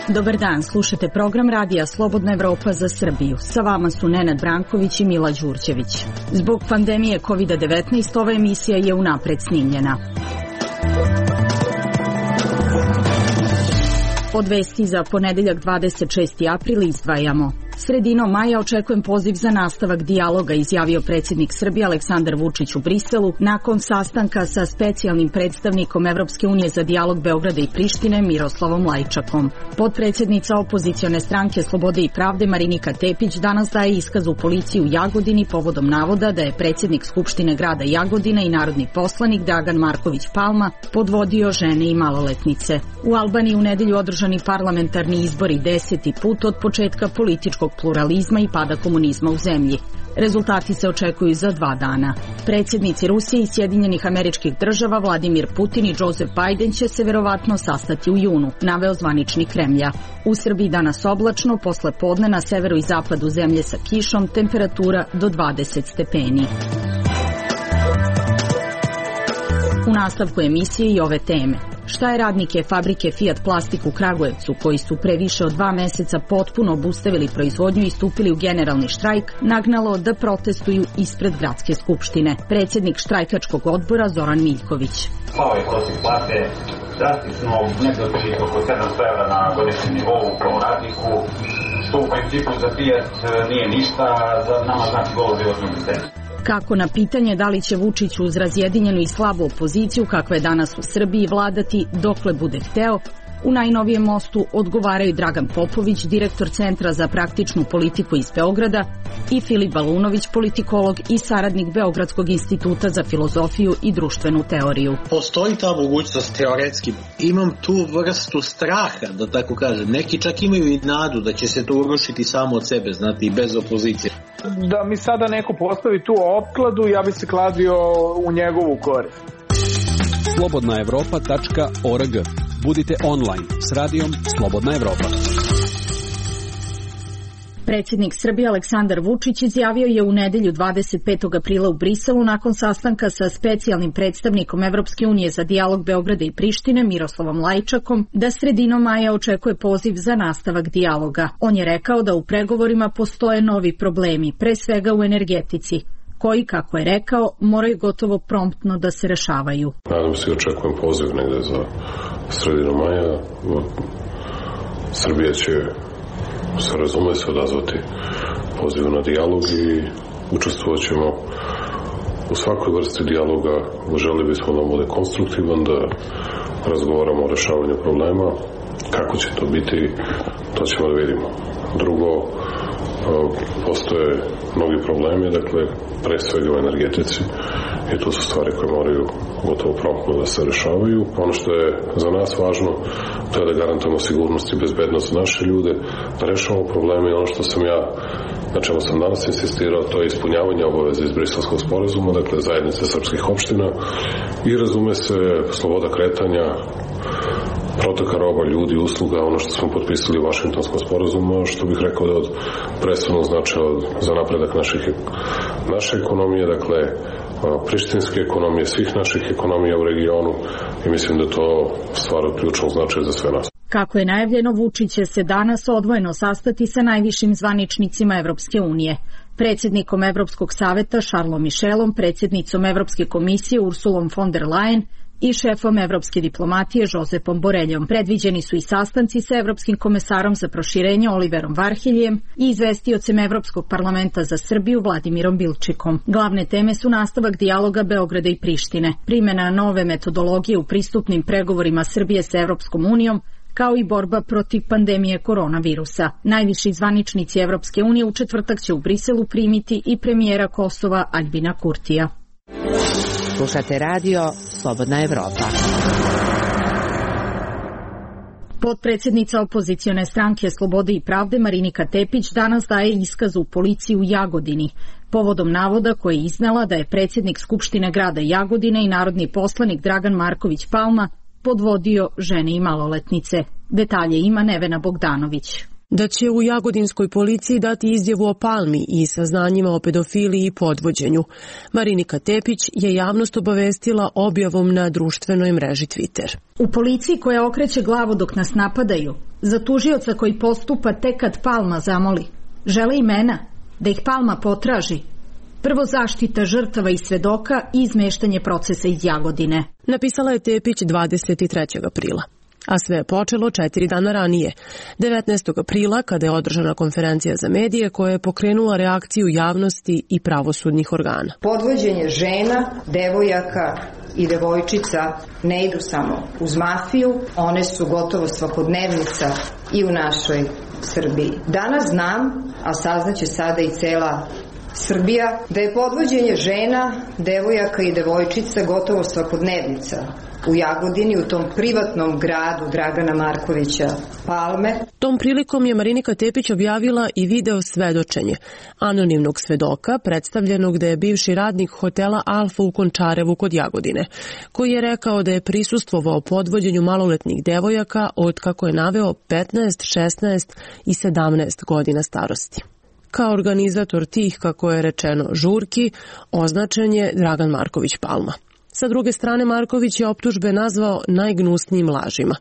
Dobar dan, slušate program radija Slobodna Evropa za Srbiju. Sa vama su Nenad Branković i Mila Đurđević. Zbog pandemije COVID-19 ova emisija je unapred snimljena. Od vesti za ponedeljak 26. april izdvajamo. Sredinom maja očekujem poziv za nastavak dijaloga, izjavio predsjednik Srbije Aleksandar Vučić u Briselu nakon sastanka sa specijalnim predstavnikom Evropske unije za dijalog Beograda i Prištine Miroslavom Lajčakom. Potpredsjednica opozicione stranke Slobode i pravde Marinika Tepić danas daje iskaz u policiji u Jagodini povodom navoda da je predsjednik Skupštine grada Jagodina i narodni poslanik Dragan Marković Palma podvodio žene i maloletnice. U Albaniji u nedelju održani parlamentarni izbori 10. put od početka političkog pluralizma i pada komunizma u zemlji. Rezultati se očekuju za 2 dana. Predsjednici Rusije i Sjedinjenih Američkih Država Vladimir Putin i Joseph Biden će se verovatno sastati u junu, naveo zvaničnik Kremlja. U Srbiji danas oblačno, posle podne na severu i zapadu zemlje sa kišom, temperatura do 20 stepeni. U nastavku emisije i ove teme. Šta je radnike fabrike Fiat Plastik u Kragujevcu, koji su pre više od 2 meseca potpuno obustavili proizvodnju i stupili u generalni štrajk, nagnalo da protestuju ispred Gradske skupštine? Predsjednik štrajkačkog odbora Zoran Miljković. Ovaj prosjek plate drastično nedostiže oko 700 € na godišnjem nivou kao radniku, što u principu za Fiat nije ništa, za nama znači golo životnu egzistenciju. Kako na pitanje da li će Vučić uz razjedinjenu i slabu opoziciju, kakva je danas u Srbiji, vladati dokle bude hteo, u najnovijem mostu odgovaraju Dragan Popović, direktor Centra za praktičnu politiku iz Beograda, i Filip Balunović, politikolog i saradnik Beogradskog instituta za filozofiju i društvenu teoriju. Postoji ta mogućnost teoretski. Imam tu vrstu straha, da tako kažem. Neki čak imaju i nadu da će se to urušiti samo od sebe, znate, i bez opozicije. Da mi sada neko postavi tu opkladu, ja bi se kladio u njegovu korist. Slobodnaevropa.org. Budite online s radijom Slobodna Evropa. Predsjednik Srbije Aleksandar Vučić izjavio je u nedelju 25. aprila u Briselu nakon sastanka sa specijalnim predstavnikom Evropske unije za dijalog Beograda i Prištine Miroslavom Lajčakom da sredinom maja očekuje poziv za nastavak dijaloga. On je rekao da u pregovorima postoje novi problemi, pre svega u energetici, koji, kako je rekao, moraju gotovo promptno da se rešavaju. Nadam se i očekujem poziv negde za sredinu maja. Srbija će se razume se odazvati pozivu na dijalog i učestvovat ćemo u svakoj vrsti dijaloga. Želi bismo da bude konstruktivan, da razgovaramo o rešavanju problema. Kako će to biti, to ćemo da vidimo. Drugo, postoje mnogi problemi, dakle, pre svega u energetici, i to su stvari koje moraju gotovo promptno da se rešavaju. Ono što je za nas važno, to je da garantujemo sigurnost i bezbednost za naše ljude, da rešavamo probleme, i ono što sam ja, na čemu sam danas insistirao, to je ispunjavanje obaveza iz Briselskog sporazuma, dakle zajednice srpskih opština, i razume se sloboda kretanja, protoka roba, ljudi, usluga, ono što smo potpisali u Vašingtonskom sporazumu, što bih rekao da je od presudnog značaja za napredak naše ekonomije, dakle prištinske ekonomije, svih naših ekonomija u regionu, i mislim da je to stvar od ključnog značaja za sve nas. Kako je najavljeno, Vučić će se danas odvojeno sastati sa najvišim zvaničnicima Evropske unije. Predsjednikom Evropskog saveta Charlesom Michelom, predsjednicom Evropske komisije Ursulom von der Leyen i šefom evropske diplomatije Josepom Boreljom. Predviđeni su i sastanci sa evropskim komesarom za proširenje Oliverom Varheljem i izvestiocem Evropskog parlamenta za Srbiju Vladimirom Bilčikom. Glavne teme su nastavak dijaloga Beograda i Prištine, primjena nove metodologije u pristupnim pregovorima Srbije sa Evropskom unijom, kao i borba protiv pandemije koronavirusa. Najviši zvaničnici Evropske unije u četvrtak će u Briselu primiti i premijera Kosova Aljbina Kurtija. Slušate radio Slobodna Evropa. Potpredsjednica opozicione stranke Slobode i pravde Marinika Tepić danas daje iskaz u policiji u Jagodini povodom navoda koje je iznela da je predsjednik Skupštine grada Jagodine i narodni poslanik Dragan Marković Palma podvodio žene i maloletnice. Detalje ima Nevena Bogdanović. da će u jagodinskoj policiji dati izjavu o Palmi i saznanjima o pedofiliji i podvođenju. Marinika Tepić je javnost obavestila objavom na društvenoj mreži Twitter. U policiji koja okreće glavu dok nas napadaju, za tužioca koji postupa tek kad Palma zamoli, žele imena, da ih Palma potraži. Prvo zaštita žrtava i svedoka i izmeštanje procesa iz Jagodine. Napisala je Tepić 23. aprila. A sve je počelo 4 dana ranije, 19. aprila, kada je održana konferencija za medije koja je pokrenula reakciju javnosti i pravosudnih organa. Podvođenje žena, devojaka i devojčica ne idu samo uz mafiju, one su gotovo svakodnevnica i u našoj Srbiji. Danas znam, a saznaće sada i cela Srbija, da je podvođenje žena, devojaka i devojčica gotovo svakodnevnica u Jagodini, u tom privatnom gradu Dragana Markovića Palme. Tom prilikom je Marinika Tepić objavila i video svedočenje anonimnog svedoka, predstavljenog da je bivši radnik hotela Alfa u Končarevu kod Jagodine, koji je rekao da je prisustvovao podvođenju maloletnih devojaka od, kako je naveo, 15, 16 i 17 godina starosti. Kao organizator tih, kako je rečeno, žurki, označen je Dragan Marković Palma. Sa druge strane, Marković je optužbe nazvao najgnusnijim lažima.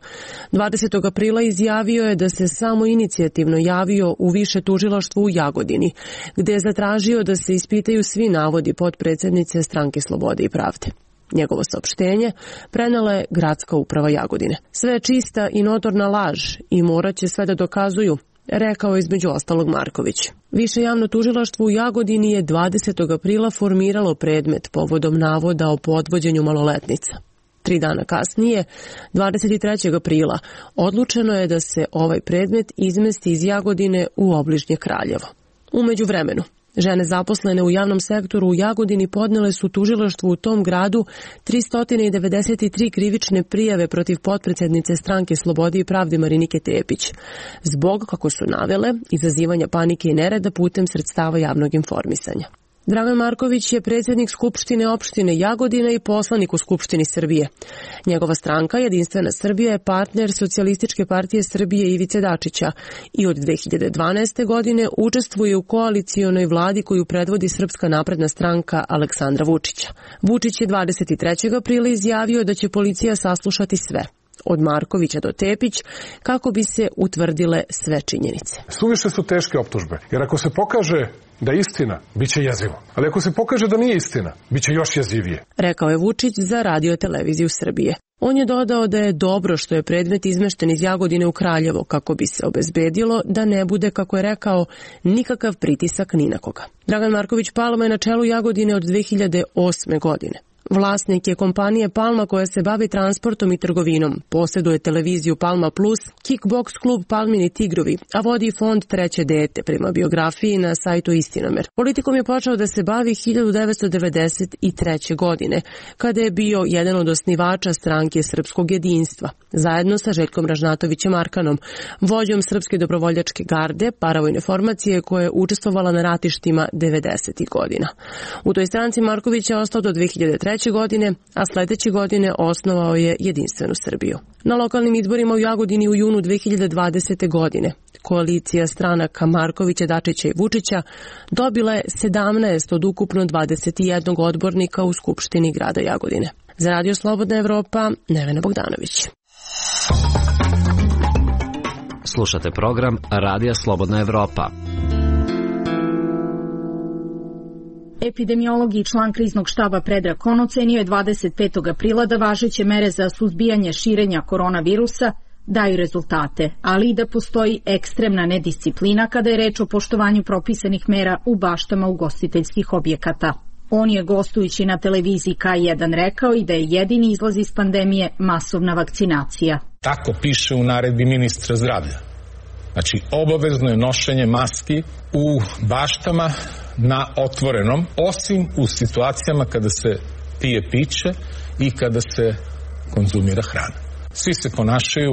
20. aprila izjavio je da se samo inicijativno javio u više tužilaštvo u Jagodini, gde je zatražio da se ispitaju svi navodi potpredsednice Stranke slobode i pravde. Njegovo saopštenje prenela je Gradska uprava Jagodine. Sve je čista i notorna laž i morat će sve da dokazuju, rekao je između ostalog Marković. Više javno tužilaštvo u Jagodini je 20. aprila formiralo predmet povodom navoda o podvođenju maloletnica. 3 dana kasnije, 23. aprila, odlučeno je da se ovaj predmet izmesti iz Jagodine u obližnje Kraljevo. U međuvremenu, žene zaposlene u javnom sektoru u Jagodini podnele su tužilaštvu u tom gradu 393 krivične prijave protiv potpredsednice Stranke slobode i pravde Marinike Tepić, zbog, kako su navele, izazivanja panike i nereda putem sredstava javnog informisanja. Dragan Marković je predsjednik Skupštine opštine Jagodina i poslanik u Skupštini Srbije. Njegova stranka, Jedinstvena Srbija, je partner Socijalističke partije Srbije Ivice Dačića i od 2012. godine učestvuje u koalicionoj vladi koju predvodi Srpska napredna stranka Aleksandra Vučića. Vučić je 23. aprila izjavio da će policija saslušati sve, od Markovića do Tepić, kako bi se utvrdile sve činjenice. Suviše su teške optužbe, jer ako se pokaže da je istina, bit će jezivo. Ali ako se pokaže da nije istina, bit će još jezivije. Rekao je Vučić za Radio-televiziju Srbije. On je dodao da je dobro što je predmet izmešten iz Jagodine u Kraljevo, kako bi se obezbedilo da ne bude, kako je rekao, nikakav pritisak ni na koga. Dragan Marković Palma je na čelu Jagodine od 2008. godine. Vlasnik je kompanije Palma koja se bavi transportom i trgovinom, posjeduje televiziju Palma Plus, kickboks klub Palmini Tigrovi, a vodi fond Treće dete prema biografiji na sajtu Istinomer. Politikom je počeo da se bavi 1993. godine, kada je bio jedan od osnivača Stranke srpskog jedinstva, zajedno sa Željkom Ražnatovićem Arkanom, vođom Srpske dobrovoljačke garde, paravojne formacije koja je učestvovala na ratištima 90. godina. U toj stranci Marković je ostao do 2003. godine, a sledeće godine osnovao je Jedinstvenu Srbiju. Na lokalnim izborima u Jagodini u junu 2020. godine koalicija stranaka Markovića, Dačića i Vučića dobila je 17 od ukupno 21 odbornika u Skupštini grada Jagodine. Za Radio Slobodna Evropa, Nevena Bogdanović. Slušate program Radija Slobodna Evropa. Epidemiolog i član kriznog štaba Predrag Kon ocenio je 25. aprila da važeće mere za suzbijanje širenja koronavirusa daju rezultate, ali i da postoji ekstremna nedisciplina kada je reč o poštovanju propisanih mera u baštama ugostiteljskih objekata. On je gostujući na televiziji K1 rekao i da je jedini izlaz iz pandemije masovna vakcinacija. Tako piše u naredbi ministra zdravlja. Znači, obavezno je nošenje maski u baštama na otvorenom, osim u situacijama kada se pije piće i kada se konzumira hrana. Svi se ponašaju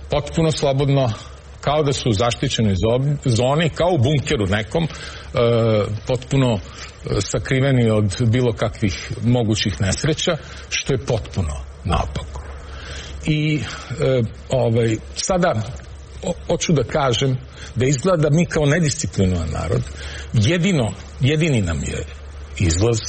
potpuno slobodno, kao da su u zaštićenoj zoni, kao u bunkeru nekom, potpuno sakriveni od bilo kakvih mogućih nesreća, što je potpuno naopako. I sada hoću da kažem da izgleda da mi kao nedisciplinovan narod jedini nam je izlaz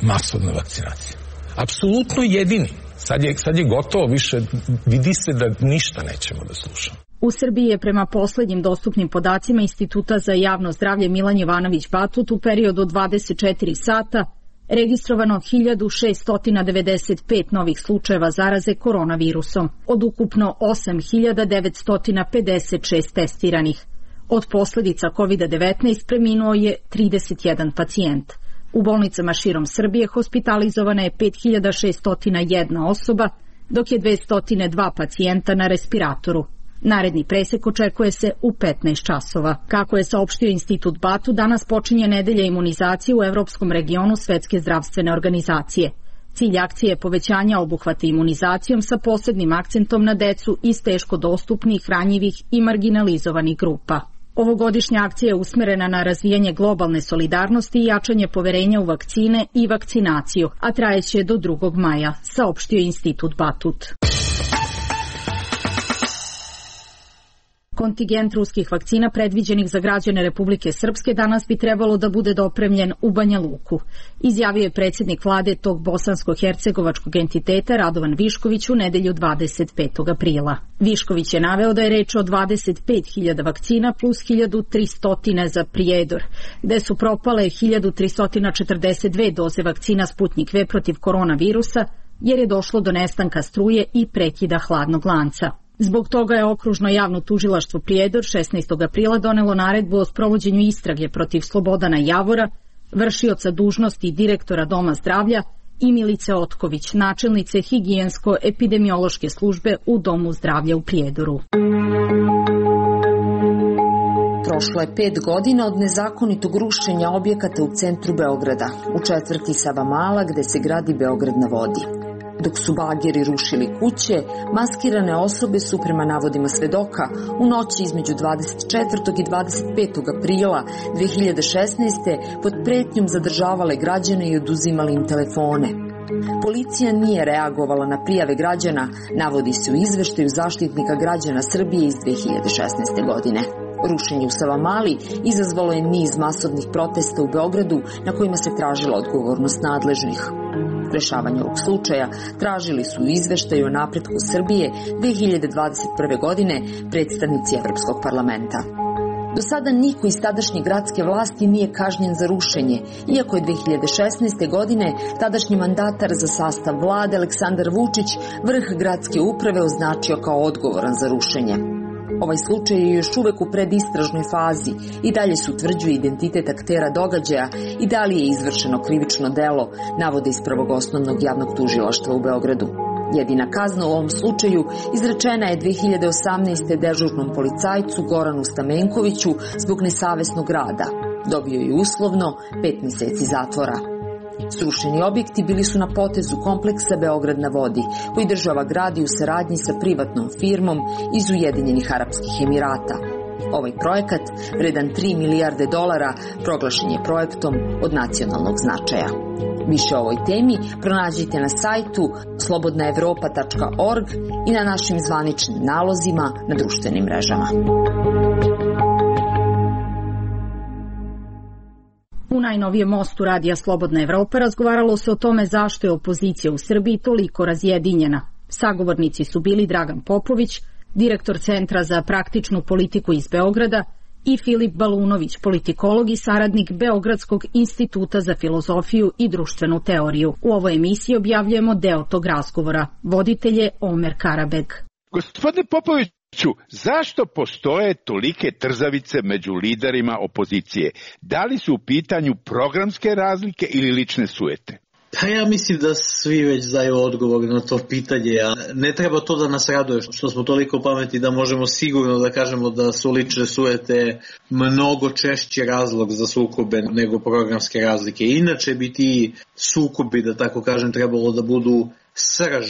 masovna vakcinacija. Apsolutno jedini. Sad je gotovo, više vidi se da ništa nećemo da slušamo. U Srbiji je prema poslednjim dostupnim podacima Instituta za javno zdravlje Milan Jovanović Batut u periodu od 24 sata registrovano 1695 novih slučajeva zaraze koronavirusom, od ukupno 8956 testiranih. Od posledica COVID-19 preminuo je 31 pacijent. U bolnicama širom Srbije hospitalizovana je 5601 osoba, dok je 202 pacijenta na respiratoru. Naredni presek očekuje se u 15 časova. Kako je saopštio Institut Batut, danas počinje nedelja imunizacije u evropskom regionu Svetske zdravstvene organizacije. Cilj akcije je povećanja obuhvata imunizacijom sa posebnim akcentom na decu iz teško dostupnih, ranjivih i marginalizovanih grupa. Ovogodišnja akcija je usmerena na razvijanje globalne solidarnosti i jačanje poverenja u vakcine i vakcinaciju, a trajeće do 2. maja, saopštio Institut Batut. Kontingent ruskih vakcina predviđenih za građane Republike Srpske danas bi trebalo da bude dopremljen u Banja Luku, izjavio je predsjednik vlade tog bosansko-hercegovačkog entiteta Radovan Višković u nedelju 25. aprila. Višković je naveo da je reč o 25.000 vakcina plus 1.300 za Prijedor, gde su propale 1.342 doze vakcina Sputnik V protiv koronavirusa, jer je došlo do nestanka struje i prekida hladnog lanca. Zbog toga je okružno javno tužilaštvo Prijedor 16. aprila donelo naredbu o sprovođenju istrage protiv Slobodana Javora, vršioca dužnosti direktora Doma zdravlja, i Milice Otković, načelnice higijensko-epidemiološke službe u Domu zdravlja u Prijedoru. Prošlo je 5 godina od nezakonitog rušenja objekata u centru Beograda, u četvrti Savamala gde se gradi Beograd na vodi. Dok su bageri rušili kuće, maskirane osobe su, prema navodima svedoka, u noći između 24. i 25. aprila 2016. pod pretnjom zadržavale građane i oduzimali im telefone. Policija nije reagovala na prijave građana, navodi se u izveštaju Zaštitnika građana Srbije iz 2016. godine. Rušenje u Savamali izazvalo je niz masovnih protesta u Beogradu na kojima se tražila odgovornost nadležnih. Rešavanje ovog slučaja tražili su u izveštaju o napretku Srbije 2021. godine predstavnici Evropskog parlamenta. Do sada niko iz tadašnje gradske vlasti nije kažnjen za rušenje, iako je 2016. godine tadašnji mandatar za sastav vlade Aleksandar Vučić vrh gradske uprave označio kao odgovoran za rušenje. Ovaj slučaj je još uvek u predistražnoj fazi i dalje se utvrđuje identitet aktera događaja i da li je izvršeno krivično delo, navode iz Prvog osnovnog javnog tužilaštva u Beogradu. Jedina kazna u ovom slučaju izrečena je 2018. dežurnom policajcu Goranu Stamenkoviću zbog nesavesnog rada. Dobio je uslovno 5 meseci zatvora. Srušeni objekti bili su na potezu kompleksa Beograd na vodi, koji država gradi u saradnji sa privatnom firmom iz Ujedinjenih Arapskih Emirata. Ovaj projekat, vredan $3 milijarde, proglašen je projektom od nacionalnog značaja. Više o ovoj temi pronađite na sajtu slobodnaevropa.org i na našim zvaničnim nalozima na društvenim mrežama. U najnovijem mostu radija Slobodna Evropa razgovaralo se o tome zašto je opozicija u Srbiji toliko razjedinjena. Sagovornici su bili Dragan Popović, direktor Centra za praktičnu politiku iz Beograda, i Filip Balunović, politikolog i saradnik Beogradskog instituta za filozofiju i društvenu teoriju. U ovoj emisiji objavljujemo deo tog razgovora. Voditelj je Omer Karabeg. Gospodine Popović, zašto postoje tolike trzavice među liderima opozicije? Da li su u pitanju programske razlike ili lične sujete? Pa ja mislim da svi već znaju odgovor na to pitanje, a ne treba to da nas raduje što smo toliko pametni da možemo sigurno da kažemo da su lične sujete mnogo češći razlog za sukobe nego programske razlike. Inače bi ti sukobi, da tako kažem, trebalo da budu srž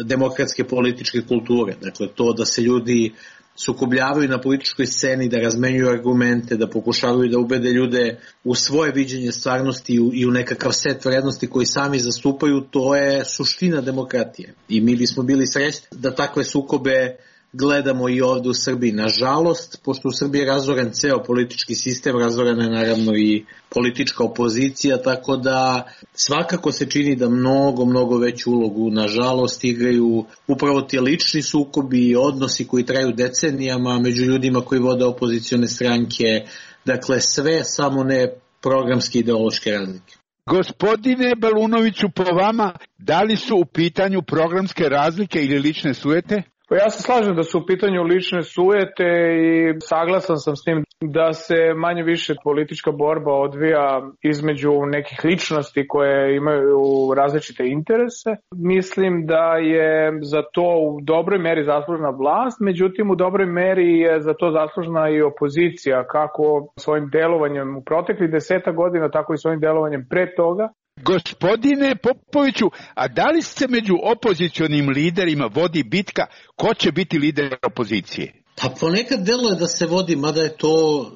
demokratske političke kulture. Dakle, to da se ljudi sukobljavaju na političkoj sceni, da razmenjuju argumente, da pokušavaju da ubede ljude u svoje viđenje stvarnosti i u nekakav set vrednosti koji sami zastupaju, to je suština demokratije. I mi bismo bili srećni da takve sukobe gledamo i ovde u Srbiji. Nažalost, pošto u Srbiji je razoren ceo politički sistem, razorena je naravno i politička opozicija, tako da svakako se čini da mnogo veću ulogu, nažalost, igraju upravo ti lični sukobi i odnosi koji traju decenijama među ljudima koji vode opozicione stranke. Dakle, sve samo ne programske ideološke razlike. Gospodine Balunoviću, po vama, da li su u pitanju programske razlike ili lične sujete? Pa ja se slažem da su u pitanju lične sujete i saglasan sam s tim da se manje više politička borba odvija između nekih ličnosti koje imaju različite interese. Mislim da je za to u dobroj meri zaslužna vlast, međutim u dobroj meri je za to zaslužna i opozicija, kako svojim delovanjem u proteklih 10 godina, tako i svojim delovanjem pre toga. Gospodine Popoviću, a da li se među opozicionim liderima vodi bitka ko će biti lider opozicije? Pa ponekad deluje da se vodi, mada je to,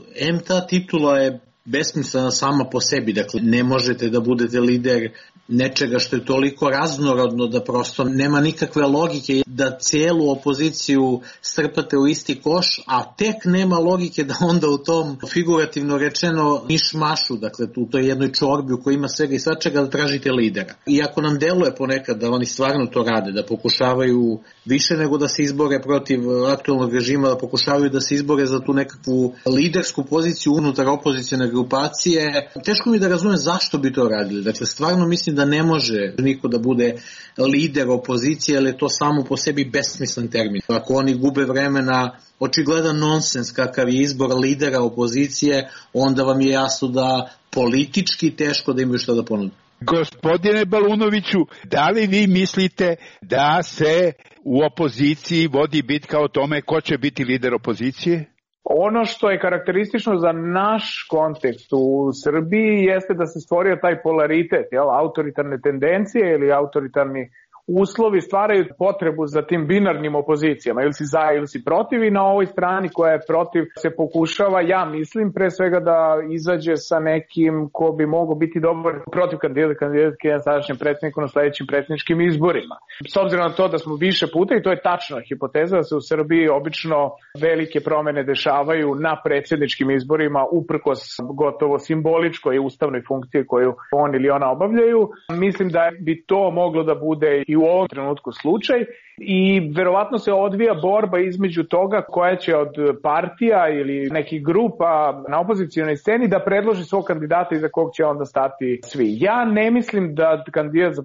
ta titula je besmislena sama po sebi, dakle ne možete da budete lider nečega što je toliko raznorodno da prosto nema nikakve logike da cijelu opoziciju strpate u isti koš, a tek nema logike da onda u tom figurativno rečeno mišmašu, dakle u toj jednoj čorbi u kojoj ima svega i svačega da tražite lidera. Iako nam deluje ponekad da oni stvarno to rade, da pokušavaju više nego da se izbore protiv aktualnog režima, da pokušavaju da se izbore za tu nekakvu lidersku poziciju unutar opozicione grupacije, teško mi da razumem zašto bi to radili. Dakle, stvarno mislim da ne može niko da bude lider opozicije, ali je to samo po sebi besmislen termin. Ako oni gube vremena, očigledan nonsens kakav je izbor lidera opozicije, onda vam je jasno da politički teško da imaju šta da ponude. Gospodine Balunoviću, da li vi mislite da se u opoziciji vodi bitka o tome ko će biti lider opozicije? Ono što je karakteristično za naš kontekst u Srbiji jeste da se stvorio taj polaritet, autoritarne tendencije ili autoritarni uslovi stvaraju potrebu za tim binarnim opozicijama, ili si za ili si protiv, i na ovoj strani koja je protiv se pokušava, ja mislim, pre svega da izađe sa nekim ko bi mogao biti dobar protiv kandidatke na sadašnjem predsjedniku na sledećim predsjedničkim izborima. S obzirom na to da smo više puta, i to je tačna hipoteza, da se u Srbiji obično velike promene dešavaju na predsjedničkim izborima uprkos gotovo simboličkoj i ustavnoj funkciji koju on ili ona obavljaju, mislim da bi to moglo da bude i u ovom trenutku slučaj, i verovatno se odvija borba između toga koja će od partija ili nekih grupa na opozicionoj sceni da predloži svog kandidata iza kog će onda stati svi. Ja ne mislim da kandidat za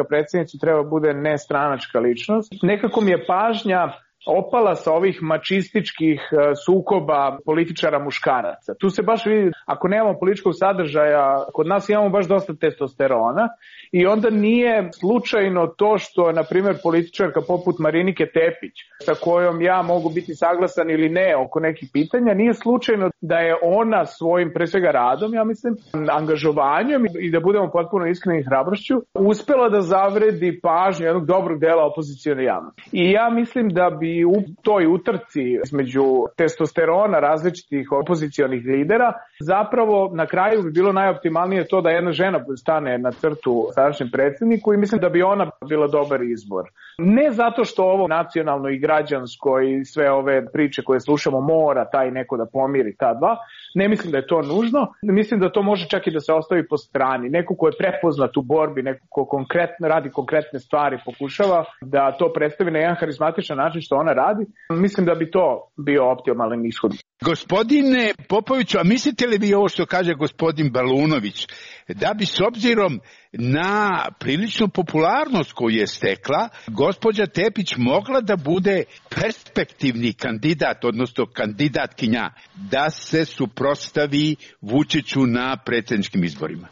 predsjednicu treba bude nestranačka ličnost. Nekako mi je pažnja opala sa ovih mačističkih sukoba političara muškaraca. Tu se baš vidi, ako nemamo političkog sadržaja, kod nas imamo baš dosta testosterona, i onda nije slučajno to što, na primjer, političarka poput Marinike Tepić, sa kojom ja mogu biti saglasan ili ne oko nekih pitanja, nije slučajno da je ona svojim, pre svega radom, ja mislim, angažovanjem i da budemo potpuno iskreni hrabrošću, uspela da zavredi pažnju jednog dobrog dela opozicione javnosti. I ja mislim da bi u toj utrci između testosterona različitih opozicionih lidera zapravo na kraju bi bilo najoptimalnije to da jedna žena stane na crtu sadašnjem predsjedniku, i mislim da bi ona bila dobar izbor. Ne zato što ovo nacionalno i građansko i sve ove priče koje slušamo mora taj neko da pomiri ta dva, ne mislim da je to nužno. Mislim da to može čak i da se ostavi po strani. Neko ko je prepoznat u borbi, neko ko konkretno radi konkretne stvari, pokušava da to predstavi na jedan harizmatičan način što ona radi, mislim da bi to bio optimalan ishod. Gospodine Popoviću, a mislite li vi ovo što kaže gospodin Balunović, da bi s obzirom na priličnu popularnost koju je stekla, gospođa Tepić mogla da bude perspektivni kandidat, odnosno kandidatkinja, da se suprotstavi Vučiću na predsjedničkim izborima?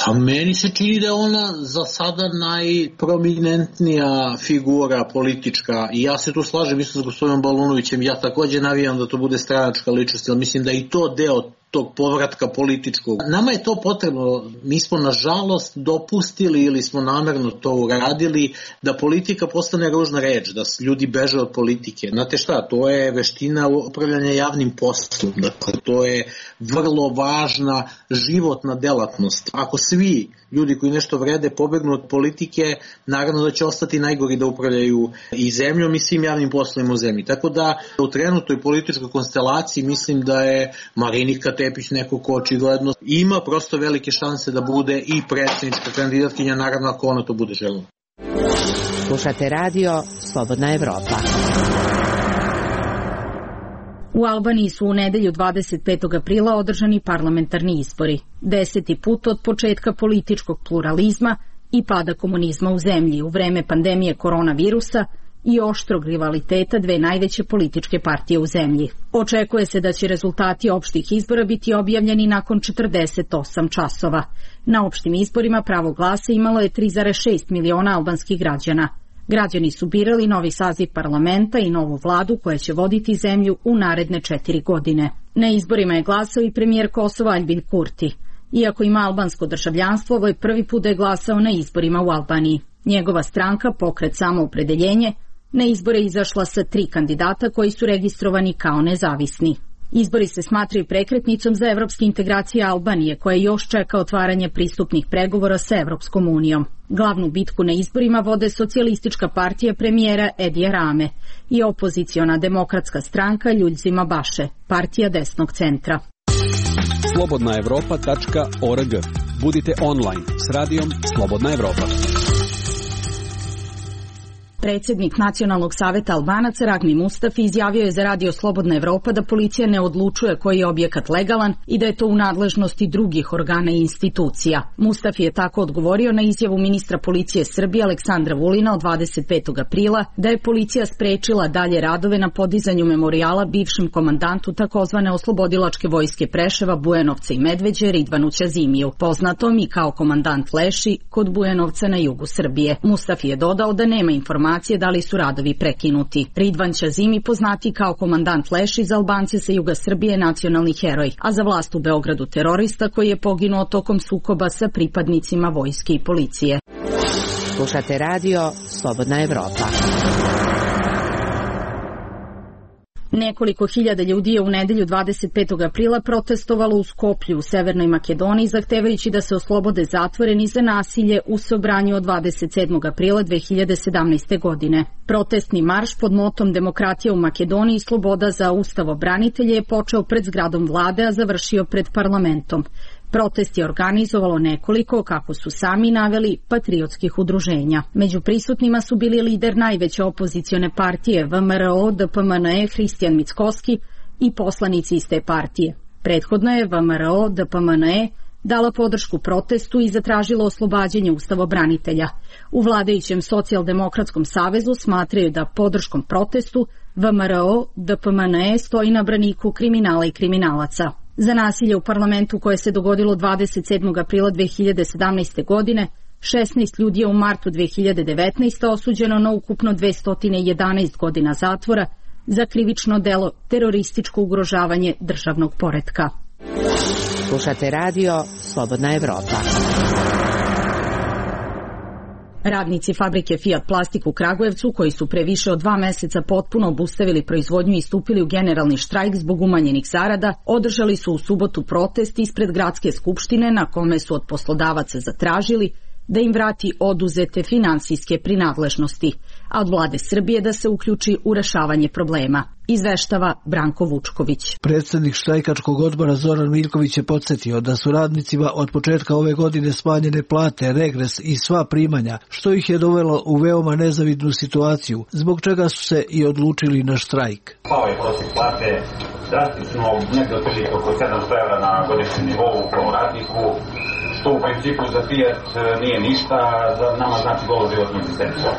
Pa meni se čini da je ona za sada najprominentnija figura politička, i ja se tu slažem isto s gospodinom Balunovićem. Ja također navijam da to bude stranačka ličnost, jer mislim da i to deo tog povratka političkog. Nama je to potrebno, mi smo nažalost dopustili ili smo namerno to uradili da politika postane ružna reč, da ljudi beže od politike. Znate šta, to je veština upravljanja javnim poslom, dakle to je vrlo važna životna delatnost. Ako svi ljudi koji nešto vrede pobegnu od politike, naravno da će ostati najgori da upravljaju i zemljom i svim javnim poslovima u zemlji. Tako da u trenutnoj političkoj konstelaciji mislim da je Marinika Tepić neko ko očigledno ima prosto velike šanse da bude i predsjednička kandidatkinja, naravno ako ona to bude željela. Slušate radio Slobodna Evropa. U Albaniji su u nedelju 25. aprila održani parlamentarni izbori. 10. put od početka političkog pluralizma i pada komunizma u zemlji u vreme pandemije koronavirusa i oštrog rivaliteta dve najveće političke partije u zemlji. Očekuje se da će rezultati opštih izbora biti objavljeni nakon 48 časova. Na opštim izborima pravo glasa imalo je 3,6 miliona albanskih građana. Građani su birali novi saziv parlamenta i novu vladu koja će voditi zemlju u naredne 4 godine. Na izborima je glasao i premijer Kosova Aljbin Kurti. Iako ima albansko državljanstvo, ovo je prvi put da je glasao na izborima u Albaniji. Njegova stranka, Pokret Samoopredeljenje, na izbore izašla sa 3 kandidata koji su registrovani kao nezavisni. Izbori se smatraju prekretnicom za evropske integracije Albanije, koja još čeka otvaranje pristupnih pregovora sa Evropskom unijom. Glavnu bitku na izborima vode Socijalistička partija premijera Edija Rame i opoziciona demokratska stranka Ljuljzima Baše, partija desnog centra. slobodnaevropa.org. Budite online s radijom Slobodna Evropa. Predsjednik Nacionalnog saveta Albanaca Ragmi Mustafi izjavio je za radio Slobodna Evropa da policija ne odlučuje koji je objekat legalan i da je to u nadležnosti drugih organa i institucija. Mustafi je tako odgovorio na izjavu ministra policije Srbije Aleksandra Vulina od 25. aprila da je policija sprečila dalje radove na podizanju memorijala bivšem komandantu takozvane oslobodilačke vojske Preševa, Bujanovca i Medveđe Ridvanu Ćazimiju, poznatom i kao komandant Leši kod Bujanovca na jugu Srbije. Mustafi je dodao da nema informacije da li su radovi prekinuti. Ridvan Ćazimi, poznati kao komandant Leši, za Albance sa juga Srbije nacionalni heroj, a za vlast u Beogradu terorista koji je poginuo tokom sukoba sa pripadnicima vojske i policije. Slušate radio Slobodna Evropa. Nekoliko hiljada ljudi je u nedelju 25. aprila protestovalo u Skoplju u Severnoj Makedoniji zahtevajući da se oslobode zatvoreni za nasilje u Sobranju od 27. aprila 2017. godine. Protestni marš pod motom Demokratija u Makedoniji i sloboda za ustavobranitelje je počeo pred zgradom vlade, a završio pred parlamentom. Protest je organizovalo nekoliko, kako su sami naveli, patriotskih udruženja. Među prisutnima su bili lider najveće opozicione partije VMRO, DPMNE, Hristijan Mickoski i poslanici iz te partije. Prethodno je VMRO, DPMNE dala podršku protestu i zatražila oslobađanje ustavobranitelja. U vladajućem Socijaldemokratskom savezu smatraju da podrškom protestu VMRO, DPMNE stoji na braniku kriminala i kriminalaca. Za nasilje u parlamentu koje se dogodilo 27. aprila 2017. godine, 16 ljudi je u martu 2019. osuđeno na ukupno 211 godina zatvora za krivično delo terorističko ugrožavanje državnog poretka. Slušate radio Slobodna Evropa. Radnici fabrike Fiat Plastik u Kragujevcu, koji su pre više od 2 meseca potpuno obustavili proizvodnju i stupili u generalni štrajk zbog umanjenih zarada, održali su u subotu protest ispred gradske skupštine na kome su od poslodavaca zatražili da im vrati oduzete finansijske prinadležnosti, a od vlade Srbije da se uključi u rešavanje problema. Izveštava Branko Vučković. Predsednik štrajkačkog odbora Zoran Miljković je podsjetio da su radnicima od početka ove godine smanjene plate, regres i sva primanja, što ih je dovelo u veoma nezavidnu situaciju, zbog čega su se i odlučili na štrajk. Pao je prosjek plate drastično, negde otprilike oko 700 € na godišnjem nivou u radniku, što u principu za Fiat nije ništa, za nama znači golo životnu egzistenciju.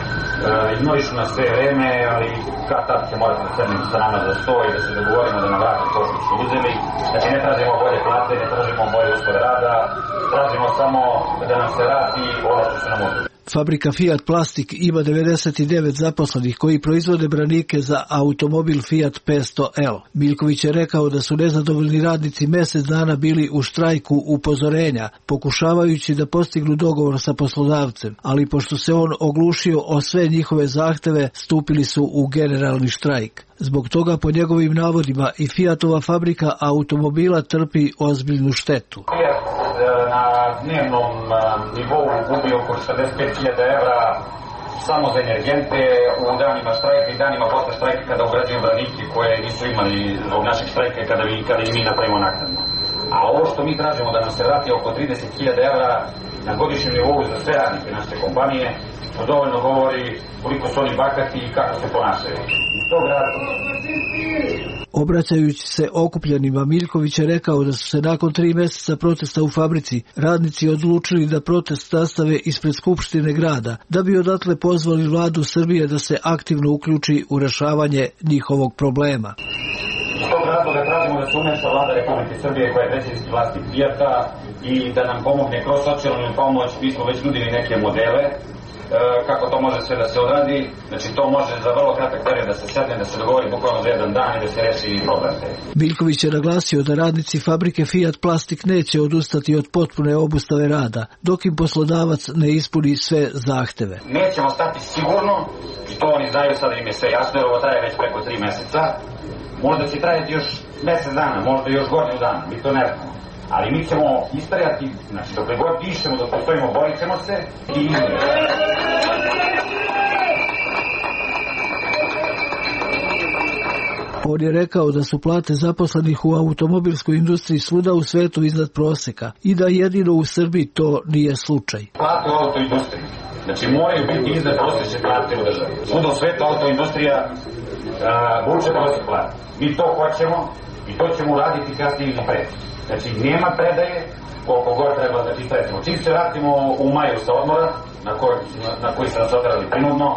Ignorišu nas sve vreme, ali kad tad će morati da sednemo sa nama za sto i da se dogovorimo da nam vrati to što su uzeli. Znači ne tražimo bolje plate, ne tražimo bolje uslove rada, tražimo samo da nam se vrati ono što se nam uzeli. Fabrika Fiat Plastik ima 99 zaposlenih koji proizvode branike za automobil Fiat 500L. Miljković je rekao da su nezadovoljni radnici mesec dana bili u štrajku upozorenja, pokušavajući da postignu dogovor sa poslodavcem, ali pošto se on oglušio o sve njihove zahteve, stupili su u generalni štrajk. Zbog toga, po njegovim navodima, i Fiatova fabrika automobila trpi ozbiljnu štetu. Fiat na dnevnom nivou gubi oko 45.000 evra samo za energente u danima štrajka i danima posle štrajka kada obrađuju branike koje nisu imali zbog našeg štrajka kada i mi napravimo naknadno. A ovo što mi tražimo da nam se vrati oko 30.000 evra na godišnjem nivou za sve radnike naše kompanije, to dovoljno govori koliko su oni bahati i kako se ponašaju. Iz tog razloga. Obraćajući se okupljenima, Miljković je rekao da su se nakon 3 meseca protesta u fabrici radnici odlučili da protest nastave ispred Skupštine grada, da bi odatle pozvali vladu Srbije da se aktivno uključi u rešavanje njihovog problema. Iz tog razloga tražimo da se umeša vlada Republike Srbije koja je predsjednički vlasnik Fijata i da nam pomogne kroz socijalnu pomoć. Mi smo već nudili neke modele kako to može sve da se odradi. Znači to može za vrlo kratak period da se sedne, da se dogovori bukvalno za jedan dan i da se reši problem. Miljković je naglasio da radnici fabrike Fiat Plastik neće odustati od potpune obustave rada, dok im poslodavac ne ispuni sve zahteve. Nećemo stati sigurno, što oni znaju, sada im je sve jasno, jer ovo traje već preko 3 meseca. Možda će trajati još mesec dana, možda još godinu dana, mi to ne znamo. Ali mi ćemo istrajati, znači dok god pišemo, dok postojimo, borit ćemo se i On je rekao da su plate zaposlenih u automobilskoj industriji svuda u svetu iznad proseka i da jedino u Srbiji to nije slučaj. Plate u autoindustriji, znači moraju biti iznad prosečne plate u državi. Svuda u svetu autoindustrija vuče prosek plate. Mi to hoćemo i to ćemo uraditi kasnije ili pre. Znači nema predaje koliko god treba da čitamo. Čim se vratimo u maju sa odmora, na koji se nas odrali prinudno,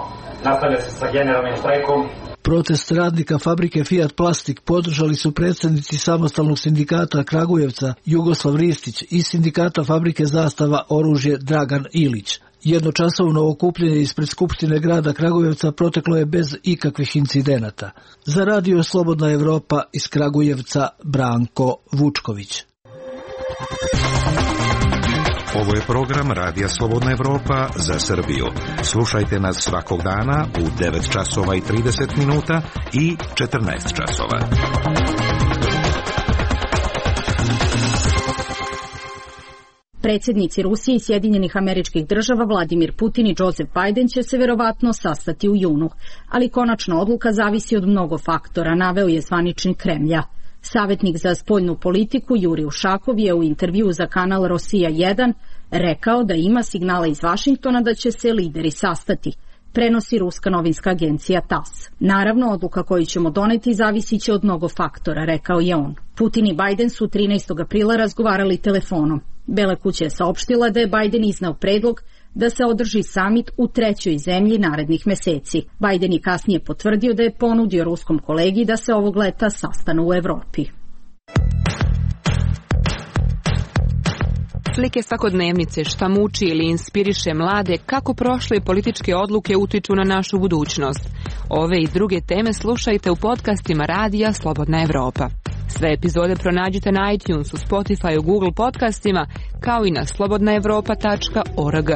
nastavlja se sa generalnim štrajkom. Protest radnika fabrike Fiat Plastik podržali su predsjednici samostalnog sindikata Kragujevca Jugoslav Ristić i sindikata fabrike Zastava oružje Dragan Ilić. Jednočasovno okupljanje ispred Skupštine grada Kragujevca proteklo je bez ikakvih incidenata. Za Radio Slobodna Evropa iz Kragujevca Branko Vučković. Ovo je program Radija Slobodna Evropa za Srbiju. Slušajte nas svakog dana u 9 časova i 30 minuta i 14 časova. Predsjednici Rusije i Sjedinjenih Američkih Država Vladimir Putin i Joseph Biden će se verovatno sastati u junu, ali konačna odluka zavisi od mnogo faktora, naveo je zvaničnik Kremlja. Savjetnik za spoljnu politiku Jurij Ušakov je u intervjuu za kanal Rosija 1 rekao da ima signala iz Vašingtona da će se lideri sastati, prenosi ruska novinska agencija TASS. Naravno, odluka koju ćemo doneti zavisit će od mnogo faktora, rekao je on. Putin i Biden su 13. aprila razgovarali telefonom. Bela kuća je saopštila da je Biden izneo predlog da se održi samit u 3. zemlji narednih meseci. Biden je kasnije potvrdio da je ponudio ruskom kolegi da se ovog leta sastanu u Evropi. Slike svakodnevnice, šta muči ili inspiriše mlade, kako prošle političke odluke utiču na našu budućnost. Ove i druge teme slušajte u podcastima Radija Slobodna Evropa. Sve epizode pronađite na iTunesu, Spotifyu, Google podcastima, kao i na slobodnaevropa.org.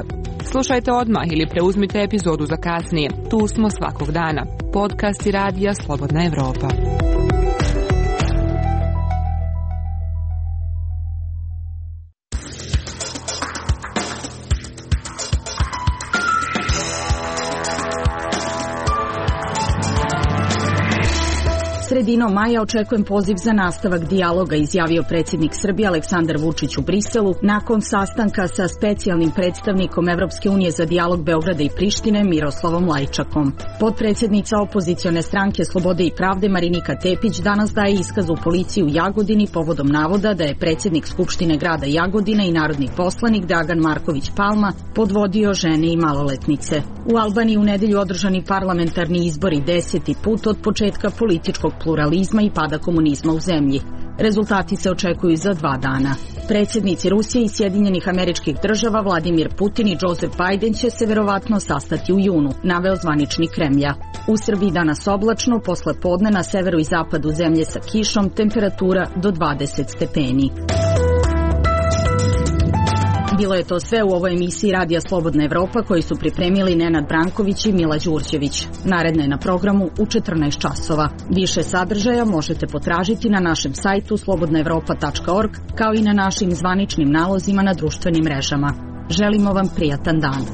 Slušajte odmah ili preuzmite epizodu za kasnije. Tu smo svakog dana. Podcasti Radija Slobodna Evropa. Sredinom maja očekujem poziv za nastavak dijaloga, izjavio predsjednik Srbije Aleksandar Vučić u Briselu nakon sastanka sa specijalnim predstavnikom Evropske unije za dijalog Beograda i Prištine Miroslavom Lajčakom. Potpredsjednica opozicione stranke Slobode i pravde Marinika Tepić danas daje iskaz u policiji u Jagodini povodom navoda da je predsjednik Skupštine grada Jagodina i narodni poslanik Dragan Marković Palma podvodio žene i maloletnice. U Albaniji u nedelju održani parlamentarni izbori 10. put od početka političkog pluralizma i pada komunizma u zemlji. Rezultati se očekuju za 2 dana. Predsjednici Rusije i Sjedinjenih Američkih Država Vladimir Putin i Joseph Biden će se verovatno sastati u junu, naveo zvaničnik Kremlja. U Srbiji danas oblačno, posle podne na severu i zapadu zemlje sa kišom, temperatura do 20 stepeni. Bilo je to sve u ovoj emisiji Radija Slobodna Evropa koju su pripremili Nenad Branković i Mila Đurđević. Naredna je na programu u 14 časova. Više sadržaja možete potražiti na našem sajtu slobodnaevropa.org kao i na našim zvaničnim nalozima na društvenim mrežama. Želimo vam prijatan dan.